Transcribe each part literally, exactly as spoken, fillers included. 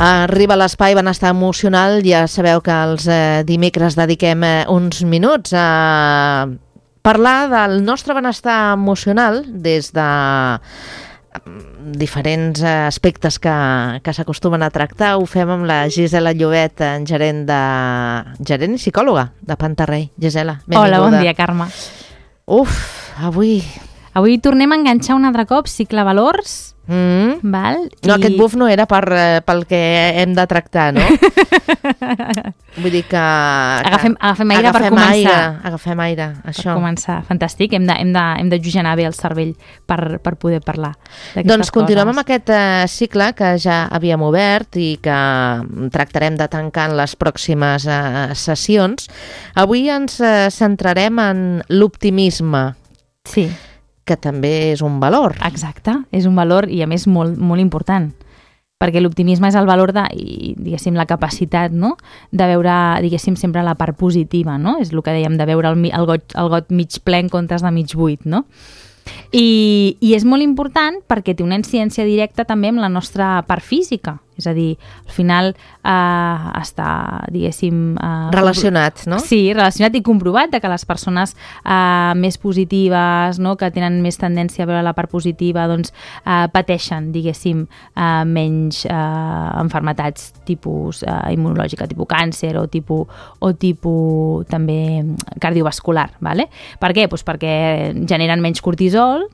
Arriba l'espai benestar emocional. Ja sabeu que els eh, dimecres dediquem eh, uns minuts a parlar del nostre benestar emocional des de diferents aspectes que, que s'acostumen a tractar. Ho fem amb la Gisela Llobet, gerent, de, gerent i psicòloga de Pantarrey. Gisela, benvinguda. Hola, bon dia, Carme. Uf, avui... Avui tornem a enganxar un altre cop cicle valors. Mm. Val? No, I... aquest buf no era per, pel que hem de tractar, no? Vull dir que... Agafem, agafem aire agafem per començar. Aire, agafem aire, això. Per començar, fantàstic. Hem de, hem de, hem de jugenar bé el cervell per, per poder parlar d'aquestes Doncs continuem coses. amb aquest uh, cicle que ja havíem obert i que tractarem de tancar en les pròximes uh, sessions. Avui ens uh, centrarem en l'optimisme. Sí. Que també és un valor. Exacte, és un valor i a més molt, molt important, perquè l'optimisme és el valor de, i, diguéssim, la capacitat, no?, de veure, diguéssim, sempre la part positiva, no? És el que dèiem, de veure el, el, got, el got mig ple en comptes de mig buit, no? I, i és molt important perquè té una incidència directa també amb la nostra part física, és a dir, al final eh, està, diguéssim... Eh, relacionat, no? Sí, relacionat i comprovat de que les persones eh, més positives, no?, que tenen més tendència a veure la part positiva, doncs eh, pateixen, diguéssim, eh, menys eh, enfermetats tipus eh, immunològica, tipus càncer o tipus, o tipus també cardiovascular, ¿vale? Per què? Pues perquè generen menys cortisol,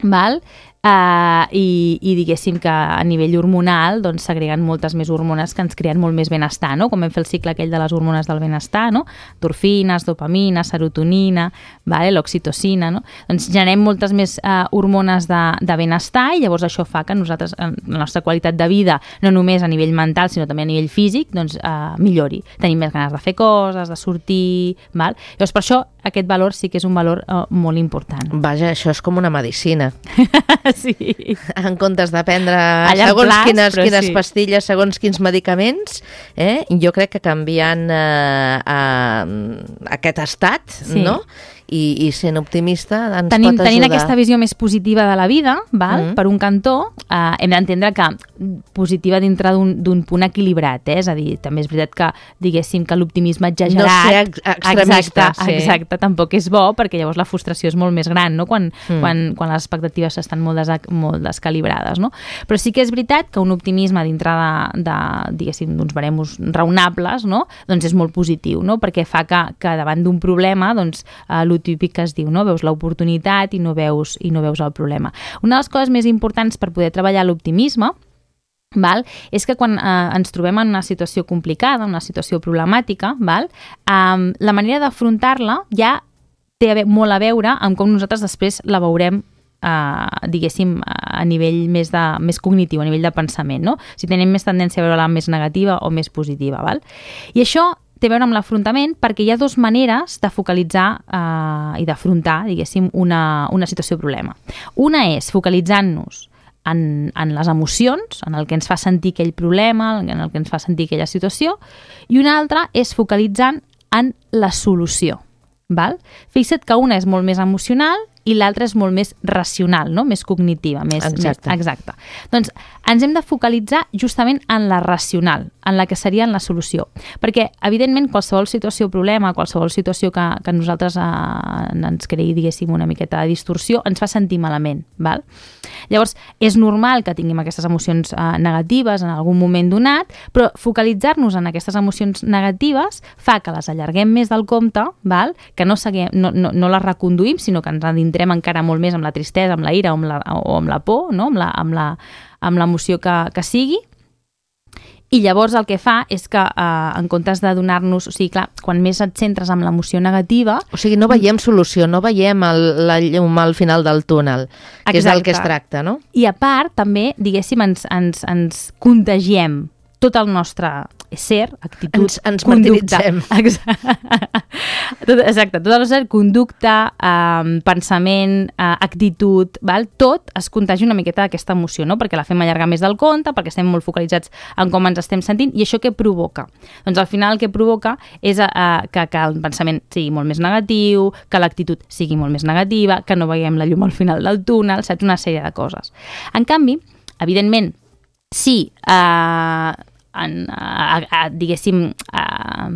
val? Uh, i, i diguéssim que a nivell hormonal doncs s'agreguen moltes més hormones que ens creen molt més benestar, no? Com vam fer el cicle aquell de les hormones del benestar, no? Endorfines, dopamina, serotonina, vale? L'oxitocina, no? Doncs generem moltes més uh, hormones de, de benestar i llavors això fa que nosaltres, la nostra qualitat de vida, no només a nivell mental sinó també a nivell físic, doncs uh, millori. Tenim més ganes de fer coses, de sortir, val? Llavors per això aquest valor sí que és un valor uh, molt important. Vaja, això és com una medicina. Sí. En comptes de prendre Allà segons plats, quines, quines sí. pastilles, segons quins medicaments, eh? Jo crec que canviant eh, eh, aquest estat, sí. no? I, i sent optimista ens Tenim, pot ajudar. Tenint aquesta visió més positiva de la vida, val? Mm. Per un cantó, eh, hem d'entendre que positiva dintre d'un punt equilibrat, eh? És a dir, també és veritat que diguéssim que l'optimisme exagerat... No ser ex extremista. Exacte, sí. exacte, tampoc és bo, perquè llavors la frustració és molt més gran, no?, quan, mm. quan, quan les expectatives estan molt, des, molt descalibrades, no? Però sí que és veritat que un optimisme dintre de, de diguéssim, d'uns baremos raonables, no?, doncs és molt positiu, no?, perquè fa que, que davant d'un problema, doncs, eh, el típic que es diu, no? Veus l'oportunitat i no veus i no veus el problema. Una de les coses més importants per poder treballar l'optimisme, val? És que quan eh, ens trobem en una situació complicada, una situació problemàtica, val? Eh, la manera d'afrontar-la ja té a ve molt a veure amb com nosaltres després la veurem Uh, diguéssim, a nivell més, de, més cognitiu, a nivell de pensament, no? Si tenim més tendència a veure-la més negativa o més positiva, val? I això té a veure amb l'afrontament perquè hi ha dues maneres de focalitzar uh, i d'afrontar, diguéssim, una, una situació problema. Una és focalitzant-nos en, en les emocions, en el que ens fa sentir aquell problema, en el que ens fa sentir aquella situació, i una altra és focalitzant en la solució, val? Fixa't que una és molt més emocional i l'altra és molt més racional, no? Més cognitiva. Més, exacte. Més, exacte. Doncs ens hem de focalitzar justament en la racional, en la que seria en la solució. Perquè, evidentment, qualsevol situació o problema, qualsevol situació que, que nosaltres eh, ens creï, diguéssim, una miqueta de distorsió, ens fa sentir malament, val? Llavors, és normal que tinguem aquestes emocions eh, negatives en algun moment donat, però focalitzar-nos en aquestes emocions negatives fa que les allarguem més del compte, val? Que no, seguim, no, no, no les reconduïm, sinó que ens adentrem encara molt més amb la tristesa, amb la ira o amb la, o amb la por, no? amb la, amb la, amb l'emoció que, que sigui. I llavors el que fa és que eh, en comptes de donar-nos... O sigui, clar, quan més et centres en l'emoció negativa... O sigui, no veiem solució, no veiem el, la llum al final del túnel, que exacte. És del que es tracta, no? I a part, també, diguéssim, ens, ens, ens contagiem tot el nostre ser, actitud, ens, ens conducta. Exacte. Tot, exacte, tot el nostre conducta, eh, pensament, eh, actitud, val? Tot es contagi una miqueta d'aquesta emoció, no? Perquè la fem allargar més del compte, perquè estem molt focalitzats en com ens estem sentint, i això què provoca? Doncs al final el que provoca és eh, que, que el pensament sigui molt més negatiu, que l'actitud sigui molt més negativa, que no veiem la llum al final del túnel, saps? Una sèrie de coses. En canvi, evidentment, si eh, en, a, a, diguéssim, a,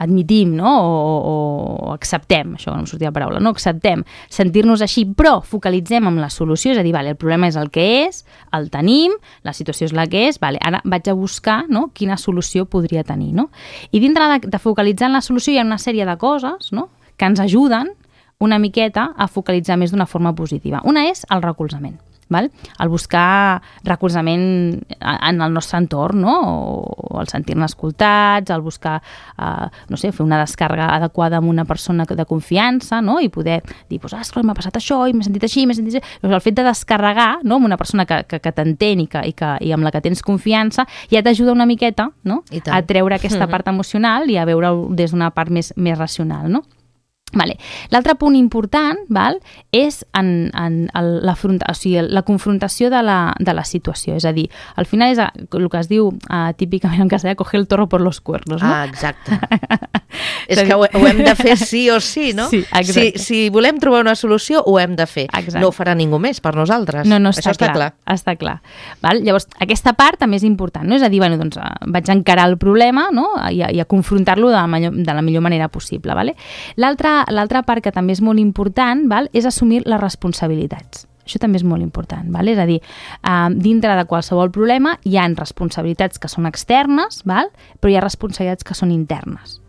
admitim, no? o, o acceptem, això no em sortia la paraula, no? acceptem sentir-nos així, però focalitzem en la solució, és a dir, vale, el problema és el que és, el tenim, la situació és la que és, vale, ara vaig a buscar, no? quina solució podria tenir. No? I dintre de, de focalitzar en la solució hi ha una sèrie de coses, no? que ens ajuden una miqueta a focalitzar més d'una forma positiva. Una és el recolzament. Val? El buscar recolzament en el nostre entorn, no? o el sentir-ne escoltats, el buscar, eh, no sé, fer una descàrrega adequada amb una persona de confiança, no? i poder dir, pues, ah, m'ha passat això, i m'he sentit així, m'he sentit així. El fet de descarregar, no? amb una persona que, que, que t'entén i, que, i, que, i amb la que tens confiança, ja t'ajuda una miqueta, no? a treure aquesta part emocional i a veure-ho des d'una part més, més racional, no? Vale. L'altre punt important, val, és en, en el, la, o sigui, la confrontació de la, de la situació. És a dir, al final és el que es diu uh, típicament en castellà, coger el toro por los cuernos. No? Ah, exacte. És que ho, ho hem de fer sí o sí, no? Sí, si, si volem trobar una solució, ho hem de fer. Exacte. No ho farà ningú més per nosaltres. No, no, està Això està clar. clar. Està clar. Val? Llavors, aquesta part també és important, no? És a dir, bueno, doncs, vaig a encarar el problema, no? I, a, i a confrontar-lo de, la millor, de la millor manera possible. Vale? L'altra L'altra part que també és molt important, val, és assumir les responsabilitats. Això també és molt important. Val? És a dir, eh, dintre de qualsevol problema hi ha responsabilitats que són externes, val? Però hi ha responsabilitats que són internes.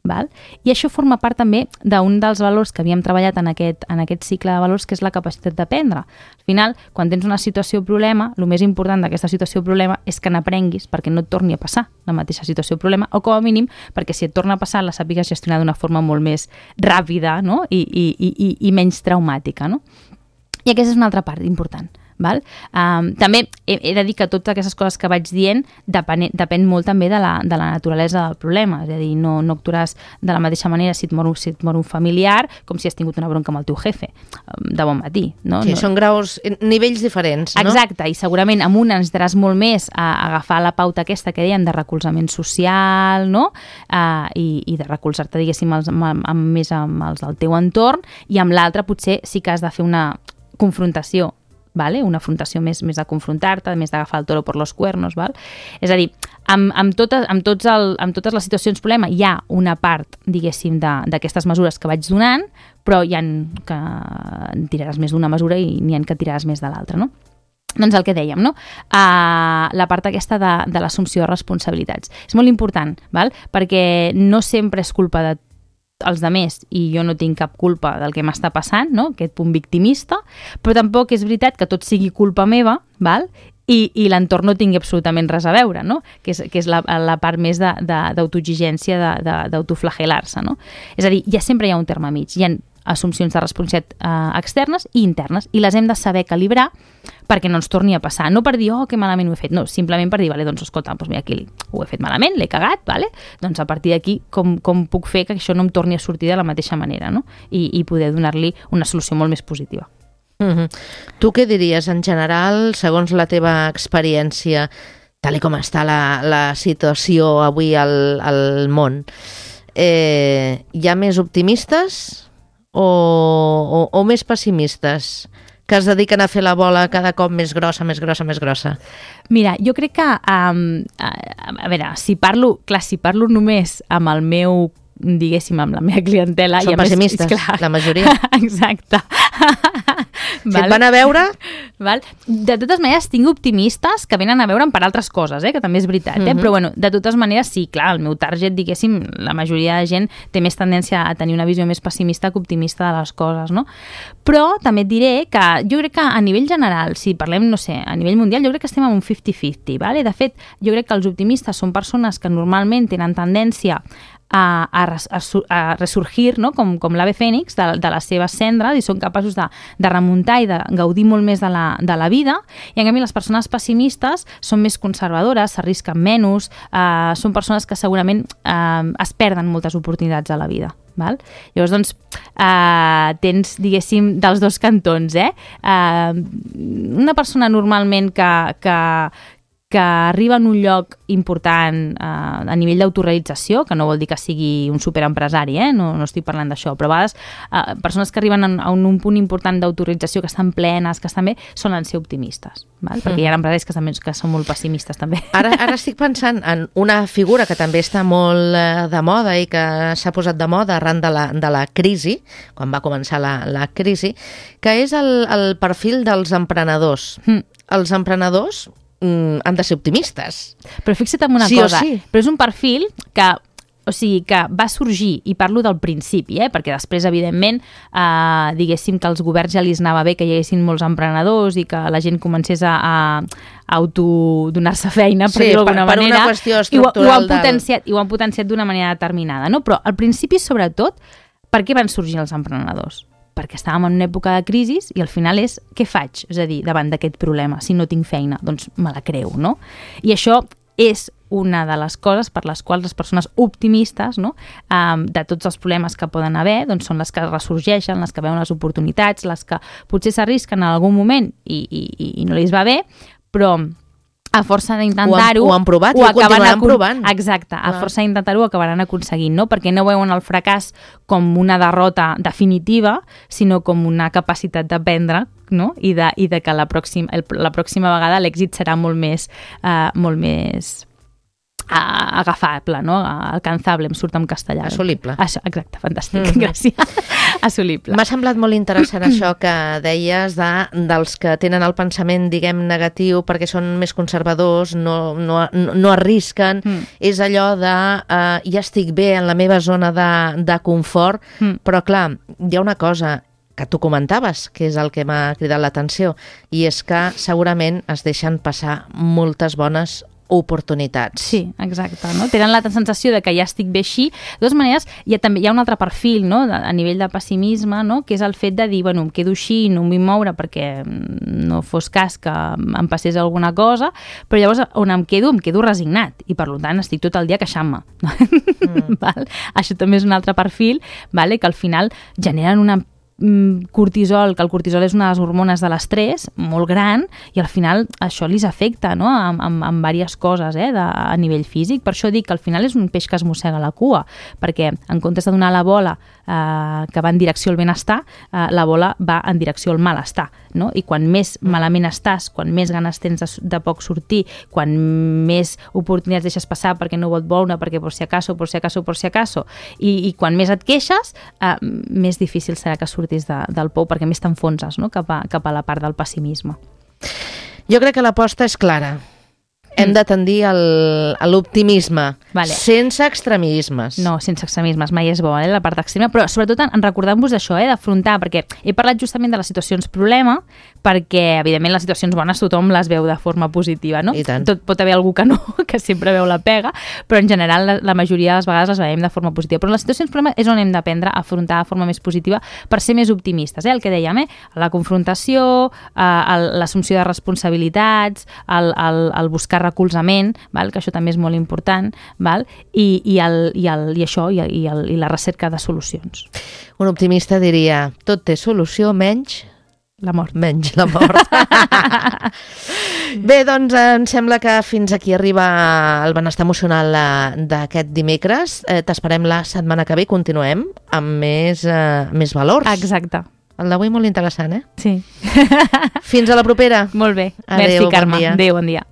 Val? I això forma part també d'un dels valors que havíem treballat en aquest, en aquest cicle de valors, que és la capacitat d'aprendre. Al final, quan tens una situació o problema, el més important d'aquesta situació o problema és que n'aprenguis perquè no et torni a passar la mateixa situació o problema, o com a mínim perquè si et torna a passar la sàpigues gestionar d'una forma molt més ràpida, no? I, i, i, i menys traumàtica. No? I aquesta és una altra part important. Val? Um, també he, he de dir que totes aquestes coses que vaig dient depèn, depèn molt també de la, de la naturalesa del problema, és a dir, no, no actuaràs de la mateixa manera si et, mor, si et mor un familiar com si has tingut una bronca amb el teu jefe de bon matí. No? Sí, no... són graus, nivells diferents, no? Exacte, i segurament amb una necessitaràs molt més a agafar la pauta aquesta que dèiem de recolzament social, no? Uh, i, i de recolzar-te, diguéssim, els, amb, amb, més amb els del teu entorn, i amb l'altra potser sí que has de fer una confrontació, vale? Una afrontació més, més de confrontar-te, més d'agafar el toro per los cuernos. Val? És a dir, amb, amb, totes, amb, tots el, amb totes les situacions problema hi ha una part, diguéssim, d'aquestes mesures que vaig donant, però hi ha que en tiraràs més d'una mesura i n'hi ha que tiraràs més de l'altra, no? Doncs el que dèiem, no? Uh, la part aquesta de, de l'assumpció de responsabilitats. És molt important, val? Perquè no sempre és culpa de els demés i jo no tinc cap culpa del que m'està passant, no? Aquest punt victimista, però tampoc és veritat que tot sigui culpa meva, val? I, i l'entorn no tingui absolutament res a veure, no? Que és, que és la, la part més d'autoexigència, d'autoflagelar-se, no? És a dir, ja sempre hi ha un terme mig, hi ha assumpcions de responsabilitat eh, externes i internes, i les hem de saber calibrar perquè no ens torni a passar. No per dir, oh, que malament ho he fet, no, simplement per dir, vale, doncs escolta, doncs mira, aquí ho he fet malament, l'he cagat, vale? Doncs a partir d'aquí, com, com puc fer que això no em torni a sortir de la mateixa manera, no? I, i poder donar-li una solució molt més positiva. Mm-hmm. Tu què diries en general, segons la teva experiència, tal com està la, la situació avui al, al món? Eh, hi ha més optimistes o, o, o més pessimistes que es dediquen a fer la bola cada cop més grossa, més grossa, més grossa? Mira, jo crec que, um, a, a veure, si parlo, clar, si parlo només amb el meu, diguéssim, amb la meva clientela... Són pessimistes, més, clar, la majoria. Exacte. Si et van a veure... Val? De totes maneres, tinc optimistes que venen a veure'm per altres coses, eh? Que també és veritat, eh? Uh-huh. Però bueno, de totes maneres, sí, clar, el meu target, diguéssim, la majoria de gent té més tendència a tenir una visió més pessimista que optimista de les coses, no? Però també et diré que jo crec que a nivell general, si parlem, no sé, a nivell mundial, jo crec que estem en un cinquanta cinquanta, vale? De fet, jo crec que els optimistes són persones que normalment tenen tendència a, a, a, a resurgir, no? com, com l'ave fènix de, de les seves cendres, i són capaços de, de remuntar i de gaudir molt més de la, de la vida, i en canvi les persones pessimistes són més conservadores, s'arrisquen menys, eh, són persones que segurament eh, es perden moltes oportunitats a la vida. Val? Llavors, doncs, eh, tens, diguéssim, dels dos cantons, eh? Eh, una persona normalment que, que, que arriba en un lloc important eh, a nivell d'autorealització, que no vol dir que sigui un superempresari, eh? no, no estic parlant d'això, però a vegades eh, persones que arriben a un, un punt important d'autorealització, que estan plenes, que estan bé, solen ser optimistes, val? Perquè hi ha empresaris que, també, que són molt pessimistes també. Ara, ara estic pensant en una figura que també està molt eh, de moda i que s'ha posat de moda arran de la, de la crisi, quan va començar la, la crisi, que és el, el perfil dels emprenedors. Mm. Els emprenedors mm, han de ser optimistes. Però fixa't en una sí cosa, sí. però és un perfil que, o sigui, que va sorgir, i parlo del principi, eh? Perquè després, evidentment, eh, diguéssim que als governs ja li anava bé que hi haguessin molts emprenedors i que la gent comencés a, a autodonar-se feina, per sí, dir-ho d'alguna per, per manera. Una qüestió i ho, ho han del... potenciat, i ho han potenciat d'una manera determinada, no? Però al principi, sobretot, per què van sorgir els emprenedors? Perquè estàvem en una època de crisi i al final és, què faig? És a dir, davant d'aquest problema, si no tinc feina, doncs me la creu, no? I això és una de les coses per les quals les persones optimistes, no? um, de tots els problemes que poden haver, doncs són les que ressorgeixen, les que veuen les oportunitats, les que potser s'arrisquen en algun moment i, i, i no li va bé, però a força d'intentar-ho... Ho, ho han provat i ho continuaran provant. Exacte, a força d'intentar-ho ho acabaran aconseguint, no? Perquè no veuen el fracàs com una derrota definitiva, sinó com una capacitat d'aprendre, no? I de, i de que la pròxima, el, la pròxima vegada l'èxit serà molt més... Uh, molt més Uh, agafable, no? Alcanzable, em surt en castellà. Assolible. Això, exacte, fantàstic, mm-hmm. gràcies. Assolible. M'ha semblat molt interessant això que deies de, dels que tenen el pensament, diguem, negatiu perquè són més conservadors, no, no, no arrisquen, mm. és allò de uh, ja estic bé en la meva zona de, de confort, mm. però clar, hi ha una cosa que tu comentaves, que és el que m'ha cridat l'atenció, i és que segurament es deixen passar moltes bones oportunitats. Sí, exacte. No? Tenen la sensació de que ja estic bé així. De totes maneres, hi ha, també, hi ha un altre perfil, no? a nivell de pessimisme, no? Que és el fet de dir, bueno, em quedo així, no em vull moure perquè no fos cas que em passés alguna cosa, però llavors on em quedo, em quedo resignat i per tant estic tot el dia queixant-me. Mm. Val? Això també és un altre perfil, vale? Que al final generen una cortisol, que el cortisol és una de les hormones de l'estrès molt gran i al final això li afecta, no? amb, amb, amb diverses coses eh? de, a nivell físic. Per això dic que al final és un peix que es mossega la cua, perquè en comptes de donar la bola eh, que va en direcció al benestar, eh, la bola va en direcció al malestar, no? I quan més malament estàs, quan més ganes tens de, de poc sortir, quan més oportunitats deixes passar perquè no vol veure, perquè por si acaso, por si acaso, por si acaso, i, i quan més et queixes, eh, més difícil serà que surtis de, del pou, perquè més t'enfonses, no? cap, a, cap a la part del pessimisme. Jo crec que l'aposta és clara. Hem de tendir al, a l'optimisme, vale. Sense extremismes. No, sense extremismes, mai és bo, eh, la part extrema, però sobretot en, en recordar-vos d'això, eh, d'afrontar, perquè he parlat justament de les situacions problema, perquè, evidentment, les situacions bones tothom les veu de forma positiva, no? I tant. Tot pot haver algú que no, que sempre veu la pega, però en general la, la majoria de les vegades les veiem de forma positiva. Però en les situacions problema és on hem d'aprendre a afrontar de forma més positiva per ser més optimistes, eh? El que dèiem, eh? La confrontació, eh, l'assumpció de responsabilitats, el, el, el buscar recolzament, val? Que això també és molt important, val? I, i, el, i, el, i això, i, i, el, i la recerca de solucions. Un optimista diria, tot té solució menys... La mort. Menys la mort. Bé, doncs em sembla que fins aquí arriba el benestar emocional d'aquest dimecres. Eh, T'esperem la setmana que ve i continuem amb més, eh, més valors. Exacte. El d'avui molt interessant, eh? Sí. Fins a la propera. Molt bé. Adéu, Merci, Carme. Bon dia. Adéu, bon dia.